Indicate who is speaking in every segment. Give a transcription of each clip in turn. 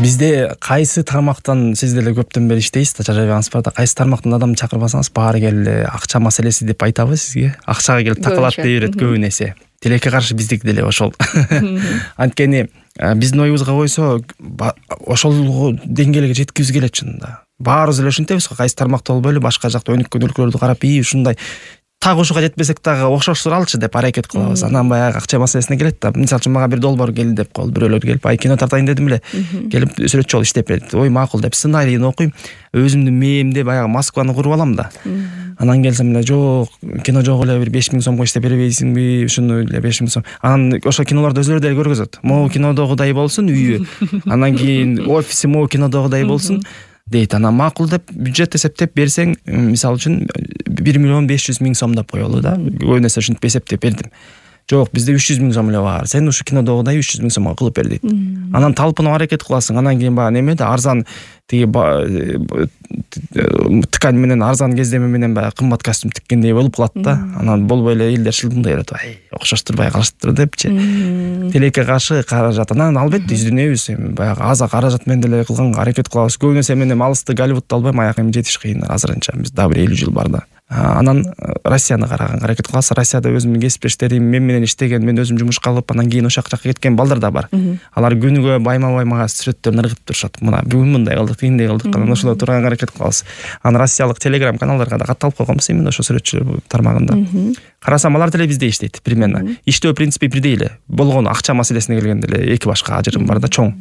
Speaker 1: Бизде кайсы тармактан сиз деле көптөн бери иштейсиз да, жарабыңыз бар да, кайсы тармактан адам чакырбасаңыз баары келди акча маселеси деп айтабы сизге. Акчага келип такалат дей берет көбүн эсе. Тилекке каршы биздики деле ошол. Анткени биздин оюбузга койсо ошол деңгээлге жеткибиз келет чынында. Баарыбыз эле ушинтебиз го, кайсы тармакта болбойлу башка жакта өнүккөн өлкөлөрдү карап, ушундай так ушуга жетпесек дагы окшоштуралчы деп аракет кылабыз. Анан баягы акча маселесине келет да. Мисалы үчүн мага бир долбоор келди деп коелу, бирөөлөр келип, кино тартайын дедим эле. Келип сүрөтчү болуп иштеп берет. Ой, макул деп сценарийин окуйм, өзүмдүн мээримде баягы Москваны куруп алам да. Анан келсем эле, жок, кино жок эле, бир 5000 сомго иштеп бербейсиңби? Ушуну эле 5000 сом. Анан ошол кинолорду өзүлөрү деле көргөзөт. Могу кинодогудай болсун үйү. Анан кийин офиси могу кинодогудай болсун дейт. Анан макул деп бюджет эсептеп берсең, мисалы үчүн 1 500 000 сом деп коелу да. Көбүнесе ушинтип эсептеп бердим. Жок, бизде 300 000 сом эле бар. Сен ушу кинодогудай 300 000 сомго кылып бер дейт. Анан талпынып аракет кыласың. Анан кийин баягы неме да арзан тиги ткань менен арзан кездеме менен баягы кымбат костюм тиккендей болуп калат да. Анан болбой эле элдер шылдыңдай берет. Окшоштурбай калыштыр депчи. Тилекке каршы каражат. Анан албетте изденебиз. Баягы аз каражат менен деле кылганга аракет кылабыз. Көбүнесе мен алысты Голливудду албайм, аяк жетиш кыйын азырынча. Биз дагы бир 50 жыл бар да. Анан Россияны караганга аракет кылабыз. Россияда өзүмдүн кесиптештерим мен менен иштеген, мен өзүм жумушка алып, анан кийин ошол жакка кеткен балдар да бар. Алар күнүгө байма-бай мага сүрөттөрүн ыргытып турушат. Мына бүгүн мындай кылдык, тигиндей кылдык. Анан ошоло турганга аракет кылабыз. Анан россиялык телеграм каналдарга да катталып койгонбуз именно ошо сүрөтчү тармагында. Карасам алар деле бизде иштейт примерно. Иштөө принципи бирдей эле. Болгону акча маселесине келгенде эле эки башка ажырым бар да, чоң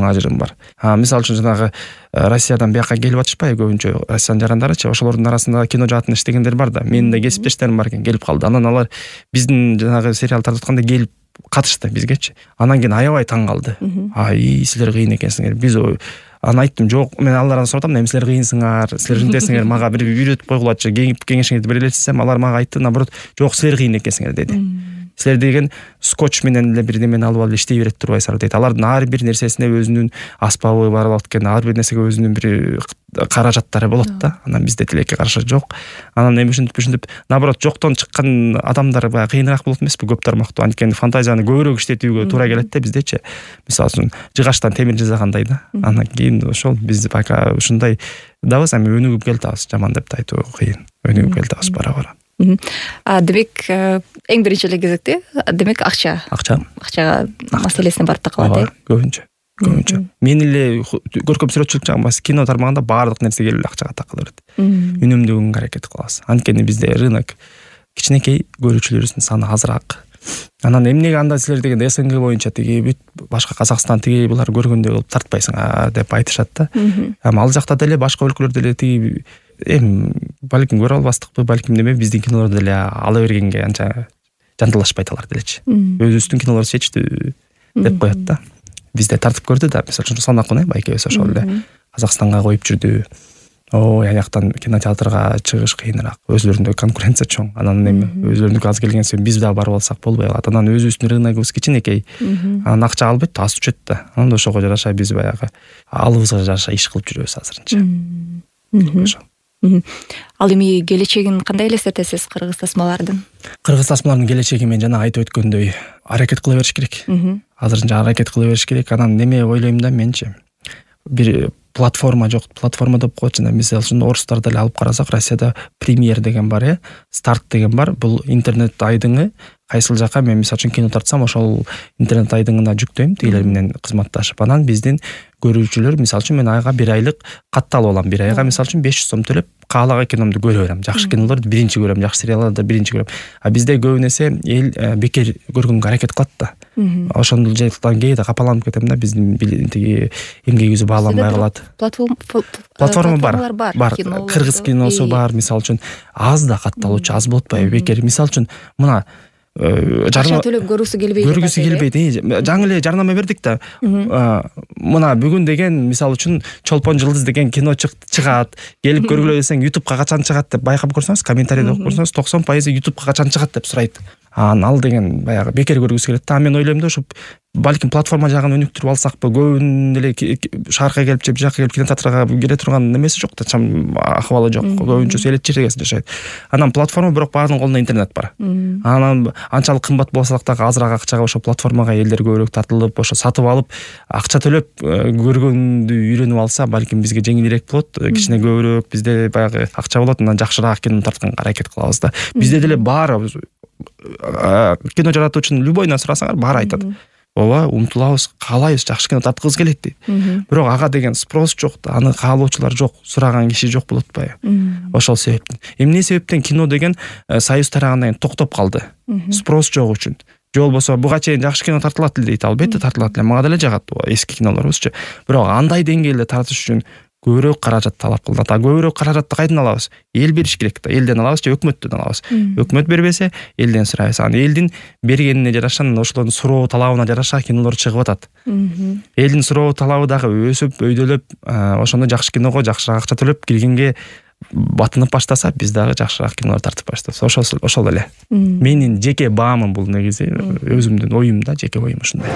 Speaker 1: ажырым бар. Мисалы үчүн жанагы Россиядан бияка келип атышпайбы көбүнчө Россиянын жарандарычы, ошолордун арасында кино жаатында иштегендер бар да. Менин да кесиптештерим бар экен, келип калды. Анан алар биздин жанагы сериал тартатканда келип катышты бизгечи. Анан кийин аябай таң калды. Силер кыйын экенсиңер. Биз анан айттым, жок, мен алардан сурдам, эмне силер кыйынсыңар, силер ушинтесиңер, мага бир үйрөтүп койгулачы, кеңешиңерди бере элесизем, алар мага айтты, наоборот, жок, силер кыйын экенсиңер деди. Силер деген скотч менен эле бир немени алып иштей берет турбайсыңар дейт. Алардын ар бир нерсесине өзүнүн аспабы бар болот экен, ар бир нерсеге өзүнүн бир каражаттары болот да. Анан бизде тилекке каршы жок. Анан эми ушинтип, наоборот, жоктон чыккан адамдар баягы кыйыныраак болот эмеспи көп тармактуу. Анткени фантазияны көбүрөөк иштетүүгө туура келет да биздечи. Мисалы үчүн жыгачтан темир жасагандай да. Анан кийин ошол биз пока ушундай дабыз, эми өнүгүп келатабыз, жаман деп айтуу кыйын. Өнүгүп келатабыз бара-бара.
Speaker 2: Демек эң биринчи эле кезекте демек акчага маселесине барып такалат.
Speaker 1: Көбүнчө. Мен эле көркөм сүрөтчүлүк жагында кино тармагында баардык нерсе келип акчага такыла берет. Үнөмдөгөнгө аракет кылабыз. Анткени бизде рынок кичинекей, көрүүчүлөрүбүздүн саны азыраак. Анан эмнеге анда силер деген СНГ боюнча тиги бүт башка Казакстан тиги булар көргөндөй кылып тартпайсыңар деп айтышат да. Ал жакта деле башка өлкөлөрдө деле тиги балким көрө албастыкпы, балким неме биздин кинолорду деле ала бергенге анча жанталашпайт алар делечи. Өзүбүздүн кинолор чечтүү деп коет да. Бизде тартып көрдү да, мисалы үчүн Санакун байкебиз ошол эле Казакстанга коюп жүрдү. Аяктан кинотеатрга чыгыш кыйыныраак. Өзлөрүндө конкуренция чоң. Анан эми өзлөрүнүкү аз келген соң биз дагы барып алсак болбой калат. Анан өзүбүздүн рыногубуз кичинекей. Анан акча албетте аз түшөт да. Анан ошого жараша биз баягы алыбызга жараша иш кылып жүрөбүз азырынча.
Speaker 2: Ал эми келечегин кандай элестетесиз кыргыз тасмалардын?
Speaker 1: Кыргыз тасмалардын келечеги мен жана айтып өткөндөй аракет кыла бериш керек. Азырынча аракет кыла бериш керек. Анан неме ойлойм да менчи. Бир платформа жок, платформа деп коет жана мисалы үчүн орустар деле алып карасак, Россияда премьер деген бар, старт деген бар. Бул интернет айдыңы кайсыл жака мен мисалы үчүн кино тартсам, ошол интернет айдыңына жүктөйм, тигилер менен кызматташып. Анан биздин көрүүчүлөр мисалы үчүн мен айга 1 айлык катталып алам. 1 айга мисалы үчүн 500 сом төлөп каалаган киномду көрө берем. Жакшы кинолорду биринчи көрөм, жакшы сериалдарды биринчи көрөм. Бизде көбүнесе эл бекер көргөнгө аракет кылат да. Ошондол жактан кээде капаланып кетем да, биздин тиги эмгегибиз бааланбай калат. Платформа бар. Кыргыз киносу бар, мисалы үчүн аз да катталуучу, аз болуп атпайбы бекер. Мисалы үчүн мына
Speaker 2: акча төлөп көрүүсү келбейт.
Speaker 1: Жаңы эле жарнама бердик да. Мына бүгүн деген мисалы үчүн Чолпон жылдыз деген кино чыгат. Келип көргүлө десең YouTube'га качан чыгат деп байкап көрсөңүз, комментарийде окуп көрсөңүз 90% YouTube'га качан чыгат деп сурайт. Ал деген баягы бекер көргүсү келет да. Мен ойлойм да, ушу балким платформа жагын өнүктүрүп алсакпы, көбүнүн эле шаарга келип же бияка келип кинотеатрга келе турган немеси жок да, чам акыбалы жок. Көбүнчөсү элет жерде жашайт. Анан платформа бирок баарынын колунда интернет бар. Анан анчалык кымбат болсак дагы азыраак акчага ошо платформага элдер көбүрөөк тартылып, ошо сатып алып, акча төлөп көргөндү үйрөнүп алса, балким бизге жеңилирээк болот. Кичине көбүрөөк бизде баягы акча болот, анан жакшыраак кино тартканга аракет кылабыз да. Бизде деле баары кино жаратуучунун любойунан сурасаңар баары айтат. Ооба, умтулабыз, каалайбыз, жакшы кино тарткыбыз келет дейт. Бирок ага деген спрос жок да, аны каалоочулар жок, сураган киши жок болуп атпайбы? Ошол себептен. Эмне себептен кино деген союз тарагандан кийин токтоп калды? Спрос жок үчүн. Же болбосо буга чейин жакшы кино тартылат эле дейт, албетте тартылат эле. Мага деле жагат эски кинолорубузчу. Бирок андай деңгээлде тартыш үчүн көбүрөөк каражат талап кылынат. Көбүрөөк каражатты кайдан алабыз? Эл бериш керек да. Элден алабыз же өкмөттөн алабыз? Өкмөт бербесе, элден сурайбыз. Анан элдин бергенине жараша, ошолордун суроо талабына жараша кинолор чыгып атат. Элдин суроо талабы дагы өсүп, өйдөлөп, ошондо жакшы киного жакшыраак акча төлөп киргенге батынып баштаса, биз дагы жакшыраак кинолор тартып баштайбыз. Ошол эле. Менин жеке баамым бул, негизи өзүмдүн оюм да, жеке оюм ушундай.